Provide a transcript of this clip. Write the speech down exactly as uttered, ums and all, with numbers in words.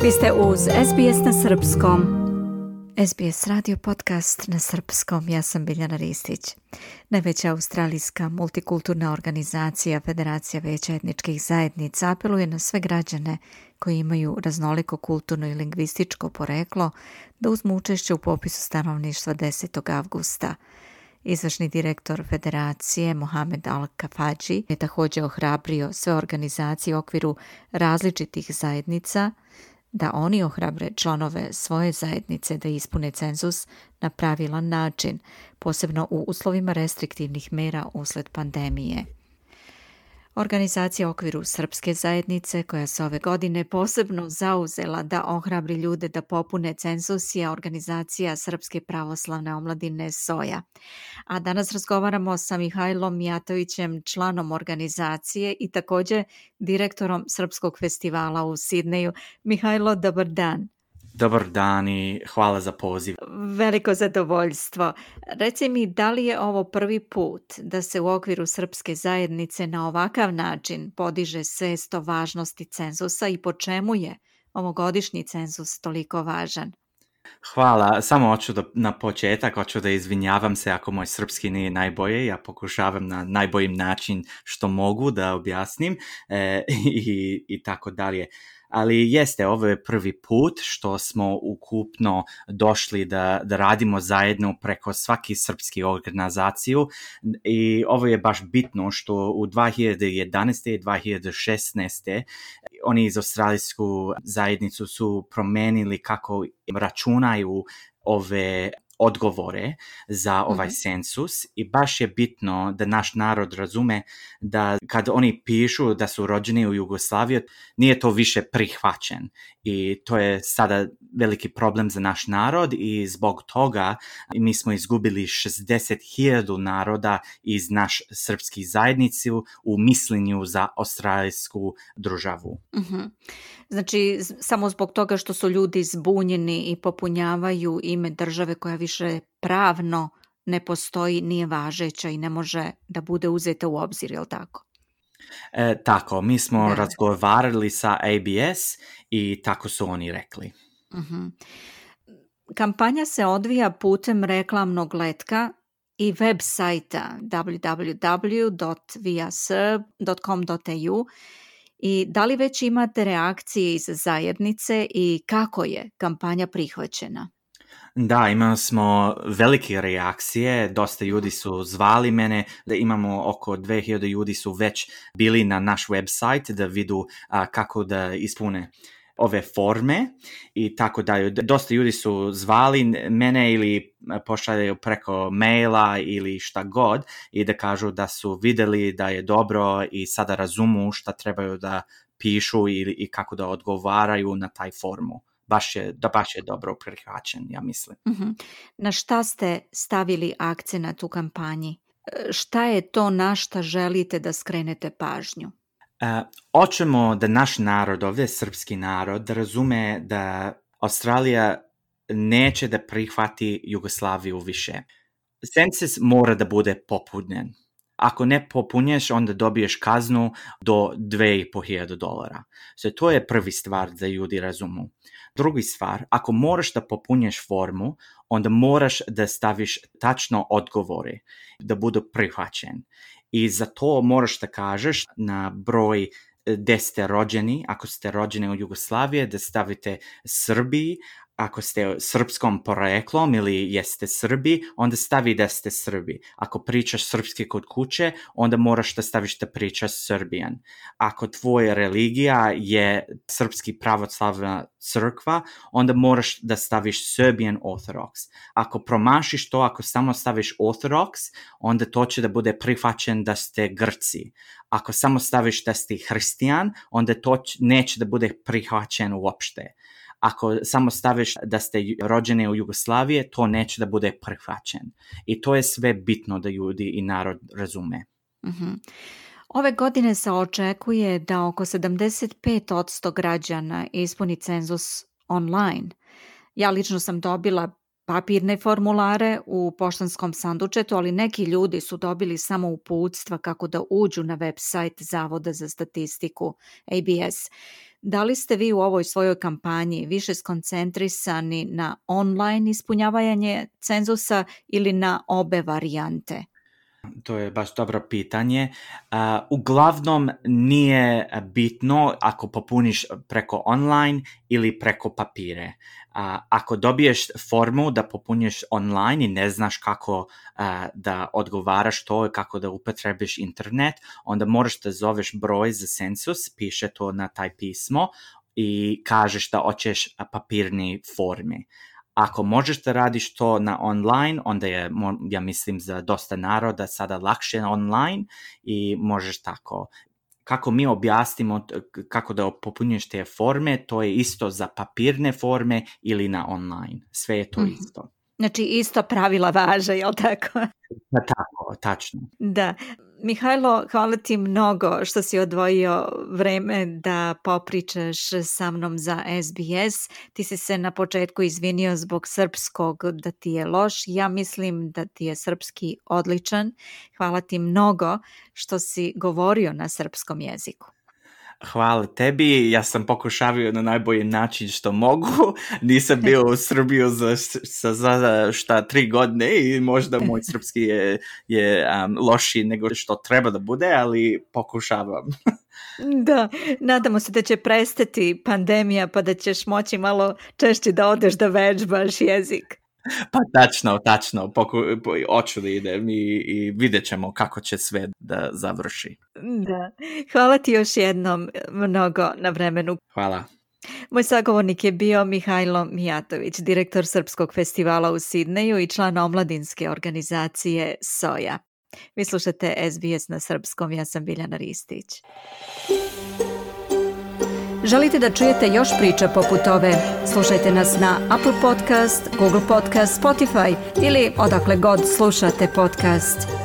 Vi ste uz S B S na srpskom. S B S radio podcast na srpskom. Ja sam Biljana Ristić. Najveća australijska multikulturna organizacija Federacija Vijeća etničkih zajednica apeluje na sve građane koji imaju raznoliko kulturno i lingvističko poreklo da uzmu učešće u popisu stanovništva desetog avgusta. Izvršni direktor Federacije Mohamed Al-Kafaji je također ohrabrio sve organizacije u okviru različitih zajednica da oni ohrabre članove svoje zajednice da ispune cenzus na pravilan način, posebno u uslovima restriktivnih mera usled pandemije. Organizacija u okviru srpske zajednice, koja se ove godine posebno zauzela da ohrabri ljude da popune cenzus, je organizacija Srpske pravoslavne omladine SOJA. A danas razgovaramo sa Mihajlom Mijatovićem, članom organizacije i također direktorom Srpskog festivala u Sidneju. Mihajlo, dobar dan. Dobar dan i hvala za poziv. Veliko zadovoljstvo. Reci mi, da li je ovo prvi put da se u okviru srpske zajednice na ovakav način podiže svest o važnosti cenzusa i po čemu je ovogodišnji cenzus toliko važan? Hvala, samo hoću da, na početak, hoću da izvinjavam se ako moj srpski nije najbolje, ja pokušavam na najbolji način što mogu da objasnim e, i, i tako dalje. Ali jeste, ovo je prvi put što smo ukupno došli da, da radimo zajedno preko svaki srpski organizaciju i ovo je baš bitno što u dvije hiljade jedanaeste i dvije hiljade šesnaeste oni iz australijsku zajednicu su promenili kako računaju ove odgovore za ovaj mm-hmm. cenzus i baš je bitno da naš narod razume da kad oni pišu da su rođeni u Jugoslaviji, nije to više prihvaćen i to je sada veliki problem za naš narod i zbog toga mi smo izgubili šezdeset hiljada naroda iz naš srpski zajednicu u mislenju za australijsku državu. Mm-hmm. Znači, samo zbog toga što su ljudi zbunjeni i popunjavaju ime države koja više pravno ne postoji, nije važeća i ne može da bude uzeta u obzir, je li tako? E, tako, mi smo da. razgovarali sa A B S i tako su oni rekli. Uh-huh. Kampanja se odvija putem reklamnog letka i web sajta w w w dot viaserb dot com dot a u. I da li već imate reakcije iz zajednice i kako je kampanja prihvaćena? Da, imali smo velike reakcije, dosta ljudi su zvali mene, da imamo oko dvije hiljade ljudi su već bili na naš website da vidu a, kako da ispune ove forme i tako dalje. Dosta ljudi su zvali mene ili pošaljaju preko maila ili šta god i da kažu da su vidjeli da je dobro i sada razumu šta trebaju da pišu i, i kako da odgovaraju na taj formu. Baš je, da baš je dobro prihvaćen, ja mislim. Uh-huh. Na šta ste stavili akcenat u kampanji? Šta je to na šta želite da skrenete pažnju? Uh, hoćemo da naš narod, ovdje srpski narod, da razume da Australija neće da prihvati Jugoslaviju više. Cenzus mora da bude popunjen. Ako ne popunješ, onda dobiješ kaznu do dve i po hiljade dolara. So, to je prvi stvar da ljudi razumu. Drugi stvar, ako moraš da popunješ formu, onda moraš da staviš tačno odgovore, da budu prihvaćen. I za to moraš da kažeš na broj gde ste rođeni, ako ste rođeni u Jugoslaviji, da stavite Srbiji, ako ste srpskom poreklom ili jeste Srbi, onda stavi da ste Srbi. Ako pričaš srpski kod kuće, onda moraš da staviš da pričaš Serbian. Ako tvoja religija je srpski pravoslavna crkva, onda moraš da staviš Serbian Orthodox. Ako promašiš to, ako samo staviš Orthodox, onda to će da bude prihvaćen da ste Grci. Ako samo staviš da ste hristijan, onda to neće da bude prihvaćen uopšte. Ako samo staviš da ste rođeni u Jugoslaviji, to neće da bude prihvaćen. I to je sve bitno da ljudi i narod razume. Uh-huh. Ove godine se očekuje da oko sedamdeset pet posto građana ispuni cenzus online. Ja lično sam dobila papirne formulare u poštanskom sandučetu, ali neki ljudi su dobili samo uputstva kako da uđu na web sajt Zavoda za statistiku A B S. Da li ste vi u ovoj svojoj kampanji više skoncentrisani na online ispunjavanje cenzusa ili na obe varijante? To je baš dobro pitanje. Uh, uglavnom nije bitno ako popuniš preko online ili preko papire. Uh, ako dobiješ formu da popuniš online i ne znaš kako uh, da odgovaraš to, kako da upotrebiš internet, onda moraš da zoveš broj za cenzus, piše to na taj pismo i kažeš da hoćeš papirni formi. Ako možeš da radiš to na online, onda je, ja mislim, za dosta naroda sada lakše online i možeš tako. Kako mi objasnimo kako da popunjuješ te forme, to je isto za papirne forme ili na online. Sve je to mm. isto. Znači isto pravila važe, je li tako? Da, tako, tačno. Da. Mihajlo, hvala ti mnogo što si odvojio vreme da popričaš sa mnom za S B S. Ti si se na početku izvinio zbog srpskog da ti je loš. Ja mislim da ti je srpski odličan. Hvala ti mnogo što si govorio na srpskom jeziku. Hvala tebi, ja sam pokušavio na najbolji način što mogu, nisam bio u Srbiju za, za, za šta tri godine i možda moj srpski je, je um, lošiji nego što treba da bude, ali pokušavam. Da, nadamo se da će prestati pandemija pa da ćeš moći malo češće da odeš da vežbaš jezik. Pa tačno, tačno, poku, po, hoću da idem i, i vidjet ćemo kako će sve da završi. Da, hvala ti još jednom mnogo na vremenu. Hvala. Moj sagovornik je bio Mihajlo Mijatović, direktor Srpskog festivala u Sidneju i član omladinske organizacije Soja. Vi slušate S B S na srpskom, ja sam Biljana Ristić. Želite da čujete još priča poput ove? Slušajte nas na Apple Podcast, Google Podcast, Spotify ili odakle god slušate podcast.